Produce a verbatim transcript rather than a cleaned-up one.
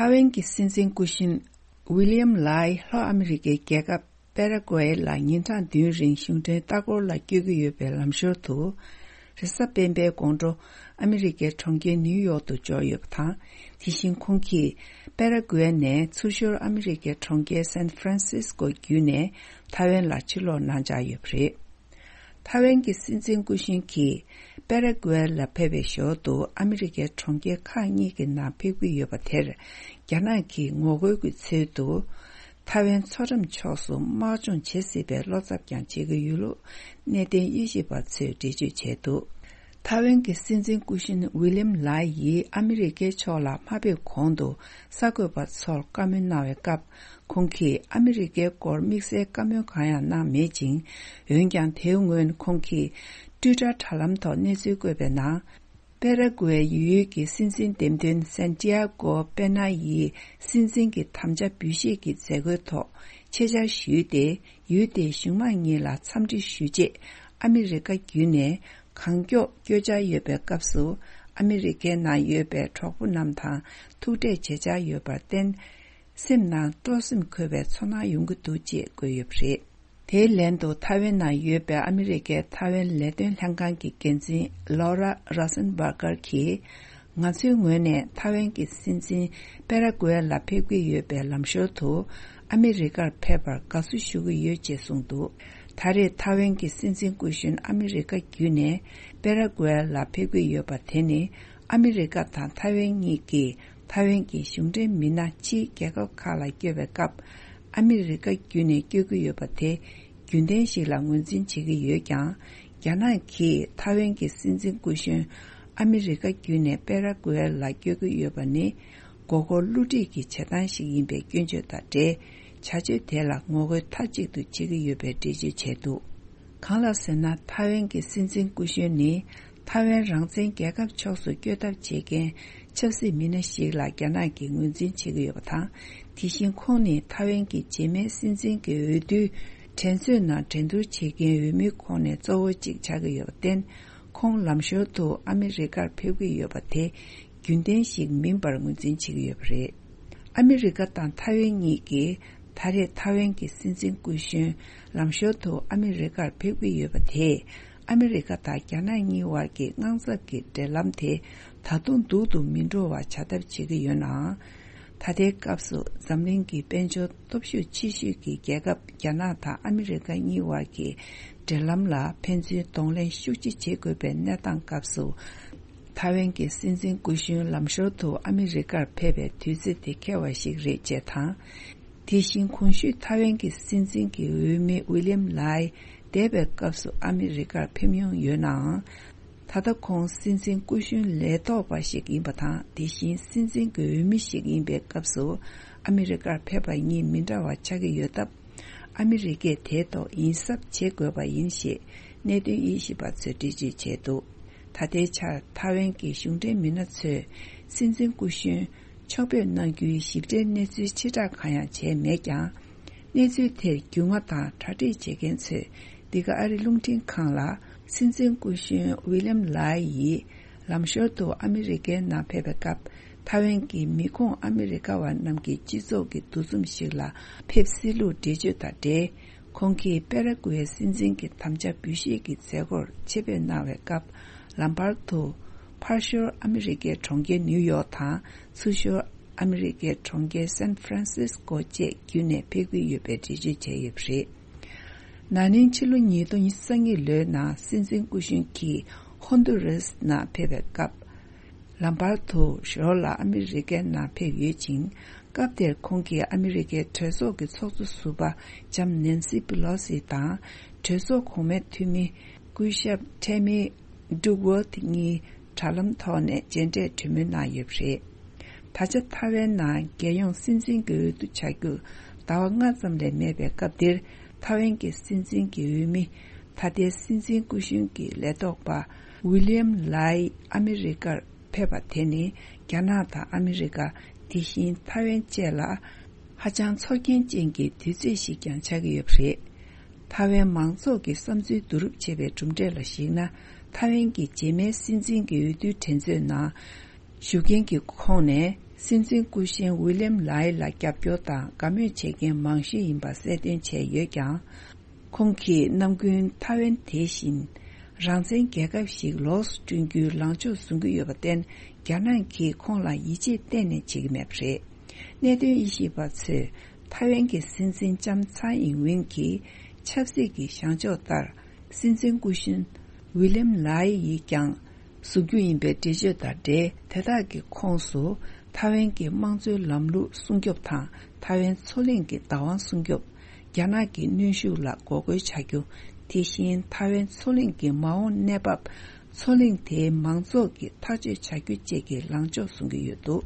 ཐའེ་ཝན་གྱི་སྲིད་འཛིན་སྐུ་གཞོན་ཝི་ལི་ཡམ་ལའི་ལྷོ་ཨ་མི་རི་ཀའི་རྒྱལ་ཁབ་པེ་ར་ཀུ་ཨེ་ལ་ཉིན་གྲངས་བདུན་རིང་གཞུང་འབྲེལ་ལྟ་སྐོར་ལ་བསྐྱོད་ཀྱི་ཡོད་པའི་ལམ་ཞོར་དུ། རེས་གཟའ་སྤེན་པའི་དགོང་དྲོ་ཨ་མི་རི་ཀའི་གྲོང་ཁྱེར་ནིའུ་ཡོག་ཏུ་འབྱོར་ཡོད་པ་དང་། དེ་བཞིན་ཁོང་གིས་པེ་ར་ཀུ་ཨེ་ནས་ཚུར་ཤོར་ཨ་མི་རི་ཀའི་གྲོང་ཁྱེར་སན་ཧྥ་རན་སིས་ཀོ་བརྒྱུད་ནས་ཐའེ་ཝན་ལ་ཕྱིར་ལོག་གནང་འཆར་ཡོད་པ་རེད། ཐའེ་ཝན་གྱི་སྲིད་འཛིན་སྐུ་གཞོན་གྱིས་པེ་ར་ཀུ་ཨེ་ལ་ཕེབས་པའི་ཞོར་དུ་ཨ་མི་རི་ཀའི་གྲོང་ཁྱེར་ཁག་གཉིས་ཀྱི་ནང་ཕེབས་ཀྱི་ཡོད་པ་དེར། རྒྱ་ནག་གིས་ངོ་རྒོལ་གྱི་ཚུལ་དུ། ཐའེ་ཝན་མཚོ་འགྲམ་ཕྱོགས་སུ་དམག་སྦྱོང་བྱེད་སྲིད་པའི་བློ་འཚབ་ཀྱང་བྱེད་ཀྱི་ཡོད་ལུགས་གནད་དོན་དབྱེ་ཞིབ་པ་ཚོས་འགྲེལ་བརྗོད་བྱས་འདུག་ཐའེ་ཝན་གྱི་སྲིད་འཛིན་སྐུ་གཞོན་ཝི་ལི་ཡམ་ལའི་ཡིས་ཨ་མི་རི་ཀའི་ཕྱོགས་ལ་མ་ཕེབས་གོང་དུ་གསར་འགོད་པ་ཚོར་བཀའ་མོལ་གནང་བའི་སྐབས། ཁོང་གིས་ཨ་མི་རི་ཀའི་སྐོར་དམིགས་བསལ་བཀའ་མོལ་གང་ཡང་གནང་མེད་ཅིང་། འོན་ཀྱང་། དེའི་སྔོན་ཁོང་གིས་ཊུའི་ཊར་དྲ་ལམ་ཐོག་གནས་ཚུལ་བཀོད་པའི་ནང་། པེ་ར་ཀུ་ཨེ་ཡུལ་གྱི་སྲིད་འཛིན་འདེམས་ཐོན་སན་ཏི་ཡ་ཀོ་པེ་ན་ཡིས་སྲིད་འཛིན་གྱི་དམ་བཅའ་འབུལ་བཞེས་ཀྱི་མཛད་སྒོའི་ཐོག་ཆེད་བཅར་ཞུས་ཏེ། ཡུལ་དེའི་གཞུང་མང་གཉིས་ལ་འཚམས་འདྲི་ཞུས་རྗེས། ཨ་མི་རི་ཀ་བརྒྱུད་ནས་གང་མགྱོགས་བསྐྱོད་འཆར་ཡོད་པའི་སྐབས་སུ། ཨ་མི་རི་ཀའི་ནང་ཡོད་པའི་གྲོགས་པོ་རྣམས་དང་ཐུག་འཕྲད་བྱེད་འཆར་ཡོད་པར་བརྟེན། སེམས་ནང་སྤྲོ་སེམས་འཁོལ་བའི་ཚོར་སྣང་ཡོང་གི་འདུག་ཅེས་བཀོད་ཡོད་པ་རེད། དེའི་ལན་དུ། ཐའེ་ཝན་ནང་ཡོད་པའི་ཨ་མི་རི་ཀའི་ཐའེ་ཝན་ལས་དོན་ལྷན་ཁང་གི་འགན་འཛིན་ལོ་ར་ར་སན་བྷར་གར་གྱིས། ང་ཚོའི་ངོས་ནས་ཐའེ་ཝན་གྱི་སྲིད་འཛིན་པེ་ར་ཀུ་ཨེ་ལ་ཕེབས་ཀྱི་ཡོད་པའི་ལམ་ཞོར་དུ། ཨ་མི་རི་ཀར་ཕེབས་པར་དགའ་བསུ་ཞུ་གི་ཡོད་ཅེས་གསུངས་འདུག་ད་རེས་ཐའེ་ཝན་གྱི་སྲིད་འཛིན་སྐུ་གཞོན་ཨ་མི་རི་ཀ་བརྒྱུད་ནས་པེ་ར་ཀུ་ཨེ་ལ་ཕེབས་ཀྱི་ཡོད་པ་དེ་ནི། ཨ་མི་རི་ཀ་དང་ཐའེ་ཝན་གཉིས་ཀྱིས། ཐའེ་ཝན་གྱི་གཞུང་འབྲེལ་མི་སྣ་ཕྱིའི་རྒྱལ་ཁབ་ཁག་ལ་བསྐྱོད་པའི་སྐབས། ཨ་མི་རི་ཀ་བརྒྱུད་ནས་བསྐྱོད་ཀྱི་ཡོད་པ་དེ་རྒྱུན་ལྡན་ཞིག་ལ་ངོས་འཛིན་བྱེད་ཀྱི་ཡོད་ཀྱང་། རྒྱ་ནག་གིས་ཐའེ་ཝན་གྱི་སྲིད་འཛིན་སྐུ་གཞོན་ཨ་མི་རི་ཀ་བརྒྱུད་ནས་པེ་ར་ཀུ་ཨེ་ལ་བསྐྱོད་ཀྱི་ཡོད་པ་ནི། མགོ་སྐོར་བསླུ་བྲིད་ཀྱི་བྱེད་སྟངས་ཤིག་ཡིན་པའི་སྐྱོན་བརྗོད་དང་འབྲེལ། བྱ་སྤྱོད་དེ་ལ་ངོ་རྒོལ་མཐའ་གཅིག་ཏུ་བྱེད་ཀྱི་ཡོད་པའི་འགྲེལ་བརྗོད་བྱས་འདུག་གང་ལགས་ཟེར་ན། ཐའེ་ཝན་གྱི་སྲིད་འཛིན་སྐུ་གཞོན་ནི། ཐའེ་ཝན་རང་བཙན་རྒྱལ་ཁབ་ཕྱོགས་སུ་བསྐྱོད་ཐབས་བྱེད་མཁན་ཆབ་སྲིད་མི་སྣ་ཞིག་ལ་རྒྱ་ནག་གིས་ངོས་འཛིན་བྱེད་ཀྱི་ཡོད་པ་དང་། དེ་བཞིན་ཁོང་ནི་ཐའེ་ཝན་གྱི་རྗེས་མའི་སྲིད་འཛིན་གྱི་འོས་བསྡུའི་འགྲན་རྩོད་ནང་འགྲན་བསྡུར་བྱེད་མཁན་འོས་མིའི་ཁོངས་ནས་གཙོ་བོ་གཅིག་ཆགས་ཀྱི་ཡོད་པར་བརྟེན། ཁོང་ལམ་ཞོར་དུ་ཨ་མི་རི་ཀར་ཕེབས་ཀྱི་ཡོད་པ་དེ་རྒྱུན་ལྡན་ཞིག་མིན་པར་ངོས་འཛིན་བྱེད་ཀྱི་ཡོད་པ་རེད། ཨ་མི་རི་ཀ་དང་ཐའེ་ཝན་གཉིས་ཀྱིས་ད་རེས་ཐའེ་ཝན་གྱི་སྲིད་འཛིན་སྐུ་གཞོན་ལམ་ཞོར་དུ་ཨ་མི་རི་ཀར་ཕེབས་ཀྱི་ཡོད་པ་དེས། ཨ་མི་རི་ཀ་དང་རྒྱ་ནག་གཉིས་བར་གྱི་དངངས་འཚབ་ཀྱི་འབྲེལ་ལམ་དེ་ད་དུང་སྡུག་ཏུ་མི་འགྲོ་བ་བྱ་ཐབས་བྱེད་ཀྱི་ཡོད་ནའང་། ད་ལྟའི་སྐབས་སུ་འཛམ་གླིང་གི་དཔལ་འབྱོར་སྟོབས་ཤུགས་ཆེ་ཤོས་ཀྱི་རྒྱལ་ཁབ་རྒྱ་ནག་དང་ཨ་མི་རི་ཀ་གཉིས་བར་གྱི་འབྲེལ་ལམ་ལ་ཕན་ཚུན་གདོང་ལེན་ཤུགས་ཆེ་བྱེད་དགོས་པའི་གནས་སྟངས་སྐབས་སུ། ཐའེ་ཝན་གྱི་སྲིད་འཛིན་སྐུ་གཞོན་ལམ་ཞོར་དུ་ཨ་མི་རི་ཀར་ཕེབས་པའི་དུས་ཚོད་དེ་ཁེལ་བ་ཞིག་རེད་ཅེས་དང་། དེ་བཞིན་གོང་ཞུས་ཐའེ་ཝན་གྱི་སྲིད་འཛིན་གྱི་འོས་མི་ཝི་ལི་ཡམ་ལའི་འདས་པའི་སྐབས་སུ་ཨ་མི་རི་ཀར་ཕེབས་མྱོང་ཡོད་ནའང་། ད་ལྟ་ཁོང་སྲིད་འཛིན་སྐུ་གཞོན་ལས་ཐོག་པ་ཞིག་ཡིན་པ་དང་། དེ་བཞིན་སྲིད་འཛིན་གྱི་འོས་མི་ཞིག་ཡིན་པའི་སྐབས་སུ་ཨ་མི་རི་ཀར་ཕེབས་པ་གཉིས་མི་འདྲ་བ་ཆགས་ཀྱི་ཡོད་སྟབས། ཨ་མི་རི་ཀས་དེའི་ཐོག་ཡིད་གཟབ་བྱེད་དགོས་པ་ཡིན་ཞེས་གནད་དོན་དབྱེ་ཞིབ་པ་ཚོས་འགྲེལ་བརྗོད་བྱས་འདུག་ད་ལྟའི་ཆར་ཐའེ་ཝན་གྱི་གཞུང་འབྲེལ་མི་སྣ་ཚོས་སྲིད་འཛིན་སྐུ་གཞོན་ཕྱོགས་ཕེབས་གནང་རྒྱུའི་ཞིབ་ཕྲའི་གནས་ཚུལ་ཕྱིར་བསྒྲགས་གང་ཡང་བྱས་མེད་ཀྱང་། གནས་ཚུལ་དེར་རྒྱུས་མངའ་དང་གྲ་སྒྲིག་བྱེད་མཁན་ཚོས་འདི་ག་ཨ་རི་རླུང་འཕྲིན་ཁང་ལ། སྲིད་འཛིན་སྐུ་གཞོན་ཝི་ལི་ཡམ་ལའི་ཡིས་ལམ་ཞོར་དུ་ཨ་མི་རི་ཀའི་ནང་ཕེབས་པའི་སྐབས། ཐའེ་ཝན་གྱི་མི་ཁོངས་ཨ་མི་རི་ཀ་བ་རྣམས་ཀྱི་སྤྱི་ཚོགས་ཀྱི་འདུ་འཛོམས་ཤིག་ལ་ཕེབས་སྲིད་ལུགས་འགྲེལ་བརྗོད་དང་འབྲེལ། ཁོང་གིས་པེ་ར་ཀུ་ཨེ་སྲིད་འཛིན་གྱི་དམ་བཅའ་འབུལ་བཞེས་ཀྱི་མཛད་སྒོར་ཆེད་ཕེབས་གནང་བའི་སྐབས། ལམ་བར་དུ་ཕར་ཞོར་ཨ་མི་རི་ཀའི་གྲོང་ཁྱེར་ནིའུ་ཡོག་དང་། ཚུར་ཞོར་ཨ་མི་རི་ཀའི་གྲོང་ཁྱེར་སན་ཧྥ་རན་སིས་ཀོ་བཅས་བརྒྱུད་ནས་ཕེབས་ཀྱི་ཡོད་པའི་འགྲེལ་བརྗོད་བྱས་ཡོད་པ་རེད། ན་ནིང་ཕྱི་ལོ་ཉིས་སྟོང་ཉི་ཤུ་རྩ་གཉིས་ལོའི་ནང་སྲིད་འཛིན་སྐུ་གཞོན་གྱིས་ཧོན་དུ་རེས་ནང་ཕེབས་པའི་སྐབས། ལམ་བར་དུ་ཞོར་ལ་ཨ་མི་རི་ཀའི་ནང་ཕེབས་ཡོད་ཅིང་། སྐབས་དེར་ཁོང་གིས་ཨ་མི་རི་ཀའི་གྲོས་ཚོགས་ཀྱི་ཚོགས་གཙོ་ཟུར་པ་ལྕམ་ནན་སི་པི་ལོ་སི་དང་། གྲོས་ཚོགས་གོང་མའི་འཐུས་མི་སྐུ་ཞབས་ཁྲེ་མི་ཌུག་ཝར་ཐི་གཉིས་དྲ་ལམ་ཐོག་ནས་མཇལ་འཕྲད་གྲོས་མོལ་གནང་ཡོད་པ་རེད། ད་ཆ་ཐའེ་ཝན་ནང་རྒྱལ་ཡོངས་སྲིད་འཛིན་གྱི་འོས་བསྡུ་བྱ་རྒྱུར་ཟླ་བ་ལྔ་ཙམ་ལས་མེད་པའི་སྐབས་འདིར། ཐའེ་ཝན་གྱི་སྲིད་འཛིན་གྱི་འོས་མི། ད་ལྟའི་སྲིད་འཛིན་སྐུ་གཞོན་གྱི་ལས་ཐོག་པ་ཝི་ལི་ཡམ་ལའི་ཨ་མི་རི་ཀར་ཕེབས་པ་དེ་ནི། རྒྱ་ནག་དང་ཨ་མི་རི་ཀ། དེ་བཞིན་ཐའེ་ཝན་བཅས་ལ་ཧ་ཅང་ཚོར་སྐྱེན་ཅན་གྱི་དུས་ཚོད་ཞིག་ཀྱང་ཆགས་ཀྱི་ཡོད་པ་རེད། ཐའེ་ཝན་མང་ཚོགས་ཀྱི་བསམ་ཚུལ་བསྡུ་རུབ་བྱས་པའི་གྲུབ་འབྲས་ལ་གཞིགས་ན། ཐའེ་ཝན་གྱི་རྗེས་མའི་སྲིད་འཛིན་གྱི་འོས་བསྡུའི་འགྲན་རྩོད་ནང་ཞུགས་མཁན་གྱི་ཁོངས་ནས་ སྲིད་འཛིན་སྐུ་གཞོན་ཝི་ལིམ་ལའི་ལ་རྒྱབ་སྐྱོར་དང་དགའ་མོས་བྱེད་མཁན་མང་ཤོས་ཡིན་པ་གསལ་སྟོན་བྱས་ཡོད་ཀྱང་། ཁོང་གིས་ནམ་རྒྱུན་ཐའེ་ཝན་དེ་བཞིན་རང་བཙན་རྒྱལ་ཁབ་ཞིག་ལོགས་སུ་བསྐྲུན་རྒྱུའི་ལངས་ཕྱོགས་བཟུང་གི་ཡོད་པར་བརྟེན། རྒྱ་ནག་གིས་ཁོང་ལ་ཡིད་ཆེས་གཏན་ནས་བྱེད་ཀྱི་མེད་པ་རེད། གནད་དོན་དབྱེ་ཞིབ་པ་ཚོས་ཐའེ་ཝན་གྱི་སྲིད་འཛིན་ལྕམ་ཚའེ་ཨིན་ཝིན་གྱི་ཆབ་སྲིད་ཀྱི་བཞེངས་ཕྱོགས་ལྟར། སྲིད་འཛིན་སྐུ་གཞོན་ཝི་ལིམ་ལའི་ཡིས་ཀྱང་བཟོ་རྒྱུ་ཡིན་པའི་འགྲེལ་བརྗོད་དང་འབྲེལ། དེ་དག་གི་ཁོངས་སུ་ཐའེ་ཝན་གྱི་དམངས་གཙོའི་ལམ་ལུགས་སྲུང་སྐྱོབ་དང་། ཐའེ་ཝན་མཚོ་གླིང་གི་བདག་དབང་སྲུང་སྐྱོབ། རྒྱ་ནག་གི་གནོན་ཤུགས་ལ་འགོག་རྒོལ་བྱ་རྒྱུ། དེ་བཞིན་ཐའེ་ཝན་མཚོ་གླིང་གི་མ་འོངས་གནས་བབ། མཚོ་གླིང་དེའི་མང་ཚོགས་ཀྱིས་ཐག་གཅོད་བྱ་རྒྱུ་བཅས་ཀྱི་ལངས་ཕྱོགས་བཟུང་གི་ཡོད་འདུག།